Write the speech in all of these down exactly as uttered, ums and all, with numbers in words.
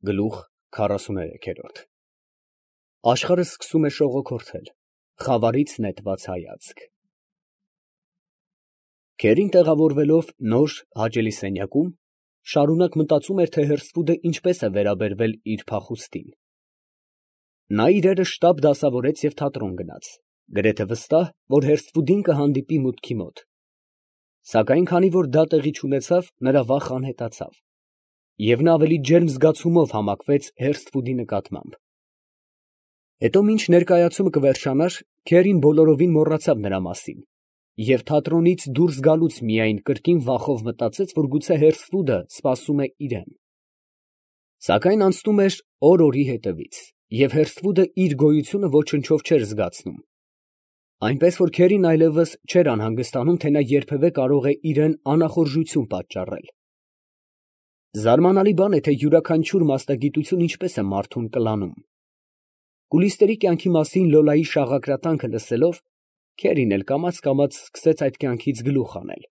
Գլուխ քառասուներեք։ Աշխարհը սկսում է շողոքորթել, խավարից նետված հայացք։ Քերին տեղավորվելով նոր, հաճելի սենյակում, շարունակ մտածում էր, թե Հերսֆուդը ինչպես է վերաբերվել իր փախուստին։ Նա իրերը շտապ դասավորեց և թատրոն գնաց, գրեթե վստահ, որ Հերսֆուդին կհանդիպի մուտքի մոտ։ Սակայն քանի որ դա տեղի չունեցավ, նրա վախն անհետացավ, և նա ավելի ջերմ զգացումով համակվեց Հերսֆուդի նկատմամբ։ Հետո մինչ ներկայացումը կվերջանար, Քերին բոլորովին մոռացավ նրա մասին, և թատրոնից դուրս գալուց միայն կրկին վախով մտածեց, որ գուցե Հերսֆուդը սպասում է իրան։ Սակայն անցնում էր օր օրի հետևից, և Հերսֆուդը իր գոյությունը ոչնչով չէր զգացնում, այնպես որ Քերին այլևս չէր անհանգստանում, թե նա երբևէ կարող է իրան անախորժություն պատճառել։ Զարմանալի բան է, թե յուրաքանչյուր մասնագիտություն ինչպես է մարդուն կլանում։ Կուլիսների կյանքի մասին Լոլայի շաղակրատանքը լսելով, Քերին էլ կամաց֊կամաց սկսեց այդ կյանքից գլուխ հանել։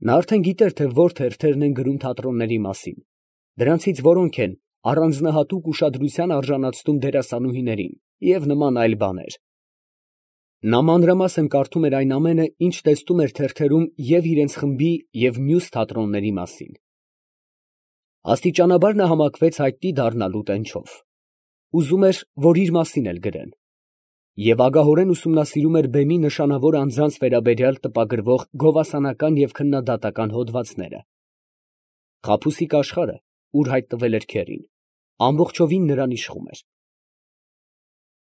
Նա արդեն գիտեր, թե որ թերթերն են գրում թատրոնների մասին, դրանցից որոնք են առանձնահատուկ ուշադրության արժանացնում դերասանուհիներին և նման այլ բաներ։ Նա մանրամասն կարդում էր այն ամենը, ինչ տեսնում էր թերթերում և իրենց խմբի և մյուս թատրոնների մասին։ Աստիճանաբար նա համակվեց հայտնի դառնալու տենչով։ Ուզում էր, որ իր մասին էլ գրեն, և ագահորեն ուսումնասիրում էր բեմի նշանավոր անձանց վերաբերյալ տպագրվող գովասանական և քննադատական հոդվածները։ Խաբուսիկ աշխարհը, ուր հայտնվել էր Քերին, ամբողջովին նրան իշխում էր։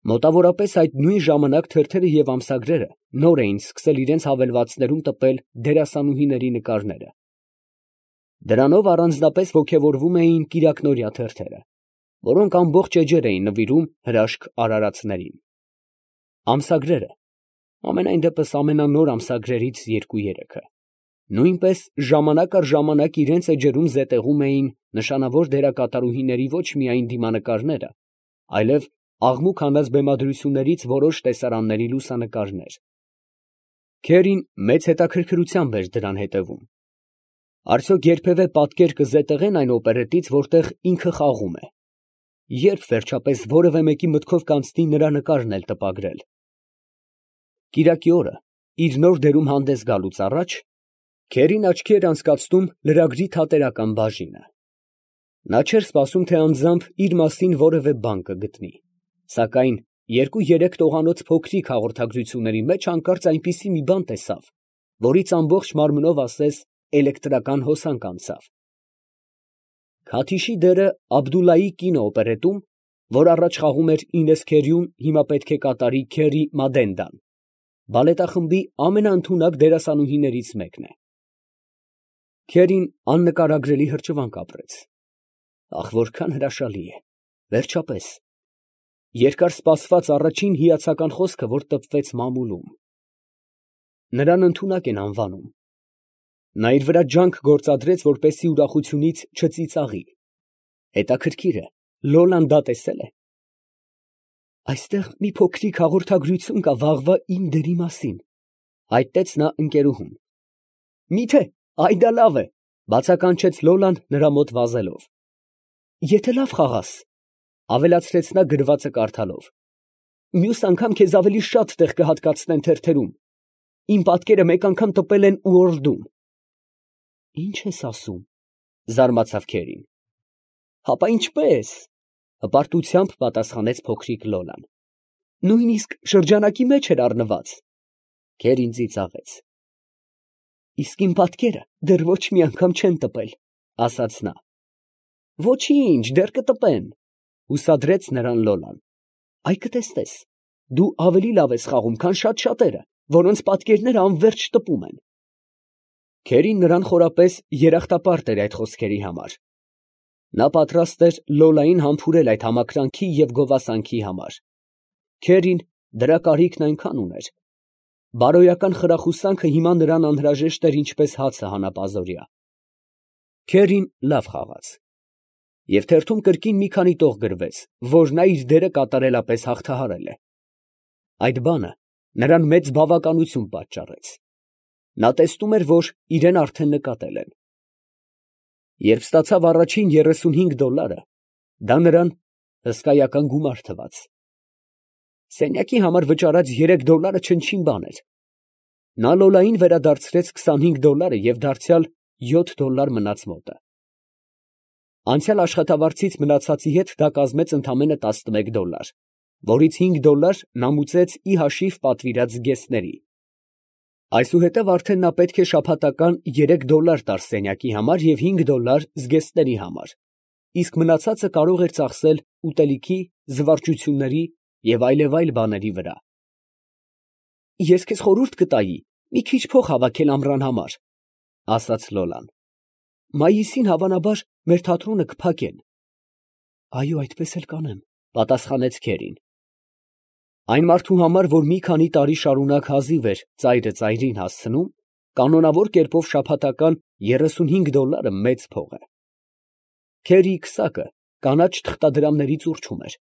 Մոտավորապես այդ նույն ժամանակ թերթերը և ամսագրերը նոր էին սկսել իրենց հավելվածներում տպել դերասանուհիների նկարները։ Դրանով առանձնապես ոգևորվում էին կիրակնօրյա թերթերը, որոնք ամբողջ էջեր էին նվիրում հրաշք արարածներին։ Ամսագրերը, համենայն դեպս ամենանոր ամսագրերից երկու֊երեքը, նույնպես ժամանակ առ ժամանակ իրենց էջերում զետեղում էին նշանավոր դերակատարուհիների ոչ միայն դիմանկարները, այլև աղմուկ հանած բեմադրություններից որոշ տեսարանների լուսանկարներ։ Քերին մեծ հետաքրքրությամբ էր դրան հետևում։ Արդյոք երբևէ պատկեր կզետեղեն այն օպերետից, որտեղ ինքը խաղում է։ Ե՞րբ վերջապես որևէ մեկի մտքով կանցնի նրա նկարն էլ տպագրել։ Կիրակի օրը, իր նոր դերում հանդես գալուց առաջ, Քերին աչքի էր անցկացնում լրագրի թատերական բաժինը։ Նա չէր սպասում, թե անձամբ իր մասին որևէ բան կգտնի, սակայն երկու֊երեք տողանոց փոքրիկ հաղորդագրությունների մեջ հանկարծ այնպիսի մի բան տեսավ, որից ամբողջ մարմնով ասես էլեկտրական հոսանք անցավ։ Քաթիշի դերը Աբդուլլայի կինո օպերետում, որ առաջ խաղում էր Ինես Քերիուն, հիմա պետք է կատարի Քերի Մադենդան, բալետախմբի ամենաընդունակ դերասանուհիներից մեկն է։ Քերին աննկարագրելի հրճվանք ապրեց։ Ախ, որքան հրաշալի է, վերջապես, երկար սպասված առաջին հիացական խոսքը, որ տպվեց մամուլում։ Նրան ընդունակ են անվանում։ Նա իր վրա ջանք գործադրեց, որպեսզի ուրախությունից չծիծաղի։ Հետաքրքիր է, Լոլան դա տեսե՞լ է։ Այստեղ մի փոքրիկ հաղորդագրություն կա վաղվա իմ դերի մասին, ֊ հայտնեց նա ընկերուհուն։ Մի՞թե, այ դա լավ է, ֊ բացականչեց Լոլան նրա մոտ վազելով։ Եթե լավ խաղաս, ֊ ավելացրեց նա գրվածը կարդալով, մյուս անգամ քեզ ավելի շատ տեղ կհատկացնեն թերթերում, իմ պատկերը մեկ անգամ տպել են Ուորլդում։ Ի՞նչ ես ասում, ֊ զարմացավ Քերին։ Հապա ինչպես, ֊ հպարտությամբ պատասխանեց փոքրիկ Լոլան, նույնիսկ շրջանակի մեջ էր առնված։ Քերին ծիծաղեց։ Իսկ իմ պատկերը դեռ ոչ մի անգամ չեն տպել, ֊ ասաց նա։ Ոչինչ, դեռ կտպեն, ֊ հուսադրեց նրան Լոլան։ Այ կտեսնես, դու ավելի լավ ես խաղում, քան շատ շատերը, որոնց պատկերները անվերջ տպում են։ Քերին նրան խորապես երախտապարտ էր այդ խոսքերի համար։ Նա պատրաստ էր Լոլային համբուրել այդ համակրանքի և գովասանքի համար։ Քերին դրա կարիքն այնքան ուներ։ Բարոյական խրախուսանքը հիմա նրան անհրաժեշտ էր ինչպես հացը հանապազօրյա։ Քերին լավ խաղաց։ Եվ թերթում կրկին մի քանի տող գրվեց, որ նա իր դերը կատարելապես հաղթահարել է։ Այդ բանը նրան մեծ բավականություն պատճառեց։ Նա տեսնում էր, որ իրան արդեն նկատել են։ Երբ ստացավ առաջին երեսունհինգ դոլարը, դա նրան հսկայական գումար թվաց։ Սենյակի համար վճարած երեք դոլարը չնչին բան էր։ Նա Լոլային վերադարձրեց քսանհինգ դոլարը և դարձյալ յոթ դոլար մնաց մոտը։ Անցյալ աշխատավարձից մնացածի հետ դա կազմեց ընդամենը տասնմեկ դոլար, որից հինգ դոլար նա մուծեց ի հաշիվ պատվիրած զգեստների։ Այսուհետև արդեն նա պետք է շաբաթական երեք դոլար տար սենյակի համար և հինգ դոլար զգեստների համար, իսկ մնացածը կարող էր ծախսել ուտելիքի, զվարճությունների և այլևայլ բաների վրա։ «Ես քեզ խորհուրդ կտայի մի քիչ փող հավաքել ամռան համար, ֊ ասաց Լոլան. ֊ մայիսին հավանաբար մեր թատրոնը կփակեն։ ֊ Այո, այդպես էլ կանեմ, ֊ պատասխանեց քերին։ Այն մարդու համար, որ մի քանի տարի շարունակ հազիվ էր ծայրը ծայրին հասցնում, կանոնավոր կերպով շաբաթական երեսունհինգ դոլարը մեծ փող է։ Քերիի քսակը կանաչ թղթադրամներից ուռչում էր։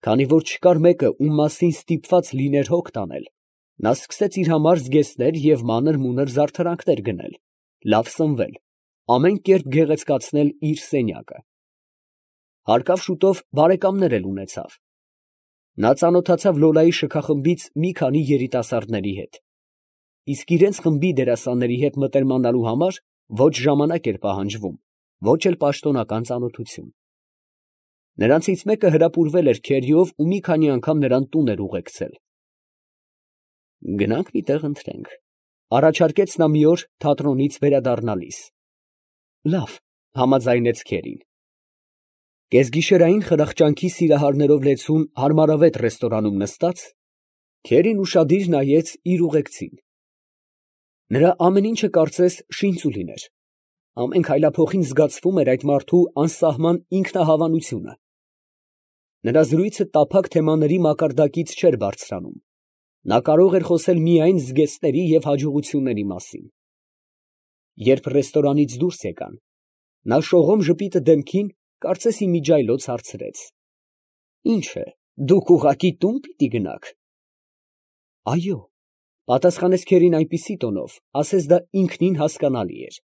Քանի որ չկար մեկը, ում մասին ստիպված լիներ հոգ տանել, նա սկսեց իր համար զգեստներ և մանր֊մունր զարդարանքներ գնել, լավ սնվել, ամեն կերպ գեղեցկացնել իր սենյակը։ Հարկավ շուտով բարեկամներ էլ ունեցավ։ Նա ծանոթացավ Լոլայի շքախմբից մի քանի երիտասարդների հետ, իսկ իրենց խմբի դերասանների հետ մտերմանալու համար ոչ ժամանակ էր պահանջվում, ոչ էլ պաշտոնական ծանոթություն։ Նրանցից մեկը հրապուրվել էր քերիով ու մի քանի անգամ նրան տուն էր ուղեկցել։ «Գնանք մի տեղ ընթրենք, ֊ առաջարկեց նա մի օր թատրոնից վերադառնալիս։ ֊ Լավ, ֊ համաձայնեց քերին։ Կեսգիշերային խրախճանքի սիրահարներով լեցուն հարմարավետ ռեստորանում նստած, քերին ուշադիր նայեց իր ուղեկցին։ Նրա ամեն ինչը կարծես շինծուլին էր, ամեն քայլափոխին զգացվում էր այդ մարդու անսահման ինքնահավանությունը։ Նրա զրույցը տափակ թեմաների մակարդակից չէր բարձրանում, նա կարող էր խոսել միայն զգեստների և հաջողությունների մասին։ Երբ ռեստորանից դուրս եկան, նա շողոմ ժպիտը դեմքին, կարծես իմիջիայլոց հարցրեց. ֊ Ի՞նչ է, դուք ուղղակի տո՞ւն պիտի գնաք։ ֊ Այո, ֊ պատասխանեց քերին այնպիսի տոնով, ասես դա ինքնին հասկանալի էր։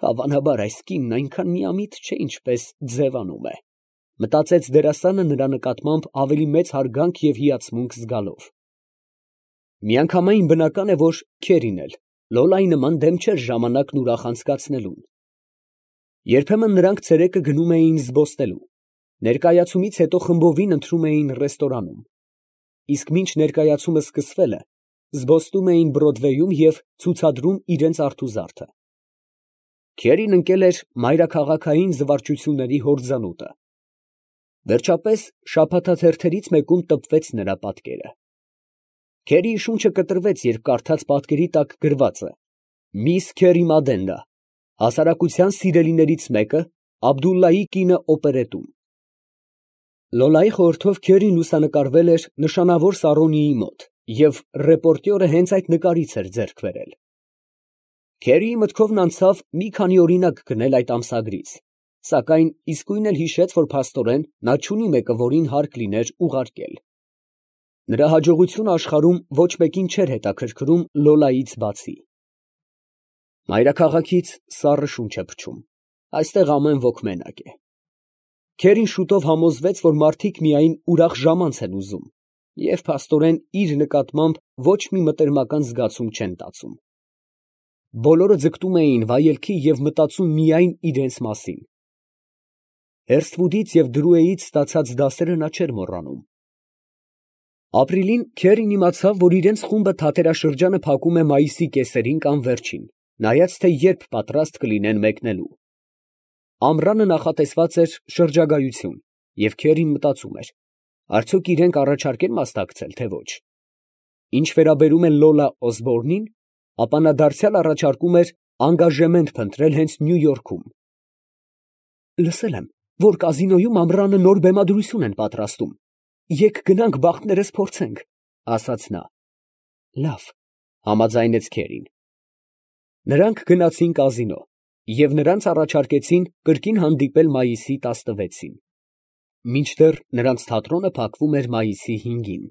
Հավանաբար այս կինն այնքան միամիտ չէ, ինչպես ձևանում է, ֊ մտածեց դերասանը նրա նկատմամբ ավելի մեծ հարգանք և հիացմունք զգալով։ Միանգամայն բնական է, որ քերին էլ Լոլայի նման դեմ չէր ժամանակն ուրախ անցկացնելուն։ Երբեմն նրանք ցերեկը գնում էին զբոսնելու, ներկայացումից հետո խմբովին ընթրում էին ռեստորանում, իսկ մինչ ներկայացումը սկսվել է, զբոսնում էին Բրոդվեյում և ցուցադրում իրենց արթուզարդը։ Քերին ընկել էր մայրաքաղաքային զվարճությունների հորձանուտը։ Վերջապես շաբաթաթերթերից մեկում տպվեց նրա պատկերը։ Քերիի շունչը կտրվեց, երբ կարդաց պատկերի տակ գրվածը. «Միս Քերի Մադեննա, հասարակության սիրելիներից մեկը, Աբդուլլայի կինը օպերետում»։ Լոլայի խորհրդով քերին լուսանկարվել էր նշանավոր Սարոնիի մոտ և ռեպորտյորը հենց այդ նկարից էր ձեռք բերել։ Քերիի մտքովն անցավ մի քանի օրինակ գնել այդ ամսագրից, սակայն իսկույն էլ հիշեց, որ փաստորեն նա չունի մեկը, որին հարկ լիներ ուղարկել։ Նրա հաջողությունը աշխարհում ոչ մեկին չէր հետաքրքրում Լոլայից բացի։ Մայրաքաղաքից սառը շունչ է փչում, այստեղ ամեն ոք մենակ է։ Քերին շուտով համոզվեց, որ մարդիկ միայն ուրախ ժամանց են ուզում և փաստորեն իր նկատմամբ ոչ մի մտերմական զգացում չեն տածում։ Բոլորը ձգտում էին վայելքի և մտածում միայն իրենց մասին։ Հերսթվուդից և Դրուեից ստացած դասերը նա չէր մոռանում։ Ապրիլին քերին իմացավ, որ իրենց խումբը թատերաշրջանը փակում է մայիսի կեսերին կամ վերջին, նայած թե երբ պատրաստ կլինեն մեկնելու։ Ամռանը նախատեսված էր շրջագայություն, և քերին մտածում էր. արդյոք իրենք առաջարկ են մասնակցել, թե ոչ։ Ինչ վերաբերում է Լոլա Օսբորնին, ապա նա դարձյալ առաջարկում էր անգաժեմենտ փնտրել հենց Նյու Յորքում։ Լսել եմ, որ կազինոյում ամռանը նոր բեմադրություն են պատրաստում, եկ գնանք բախտներս փորձենք, ֊ ասաց նա։ Լավ, ֊ համաձայնեց քերին։ Նրանք գնացին կազինո և նրանց առաջարկեցին կրկին հանդիպել մայիսի տասնվեցին, մինչդեռ նրանց թատրոնը փակվում էր մայիսի հինգին։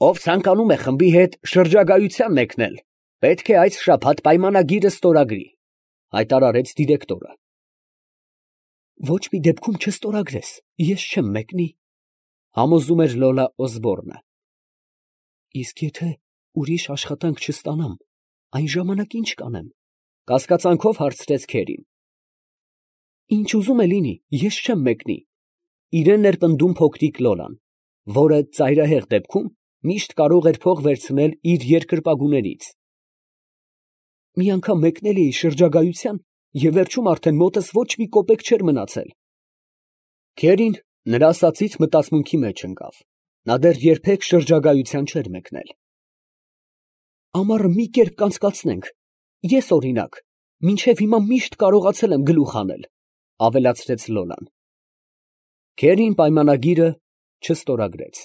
Ով ցանկանում է խմբի հետ շրջագայության մեկնել, պետք է այս շաբաթ պայմանագիրը ստորագրի, Հայտարարեց դիրեկտորը։ Ոչ մի դեպքում չստորագրես, ես չեմ մեկնի, համոզում էր Լոլա Օսբորնը։ Իսկ եթե ուրիշ աշխատանք չստանամ, այն ժամանակ ինչ կանեմ, կասկածանքով հարցրեց Քերին։ Ինչ ուզում է լինի, ես չեմ մեկնի, իրեն էր պնդում փոքրիկ Լոլան, որը ծայրահեղ դեպքում միշտ կարող էր փող վերցնել իր երկրպագուներից։ Մի անգամ մեկնել էի շրջագայության, և վերջում արդեն մոտս ոչ մի կոպեկ չէր մնացել։ Քերին նրա ասածից մտածմունքի մեջ ընկավ. նա դեռ երբեք շրջագայության չէր մեկնել։ Ամառը մի կերպ կանցկացնենք, ես օրինակ, մինչև հիմա միշտ կարողացել եմ գլուխ հանել, ավելացրեց Լոլան։ Քերին պայմանագիրը չստորագրեց։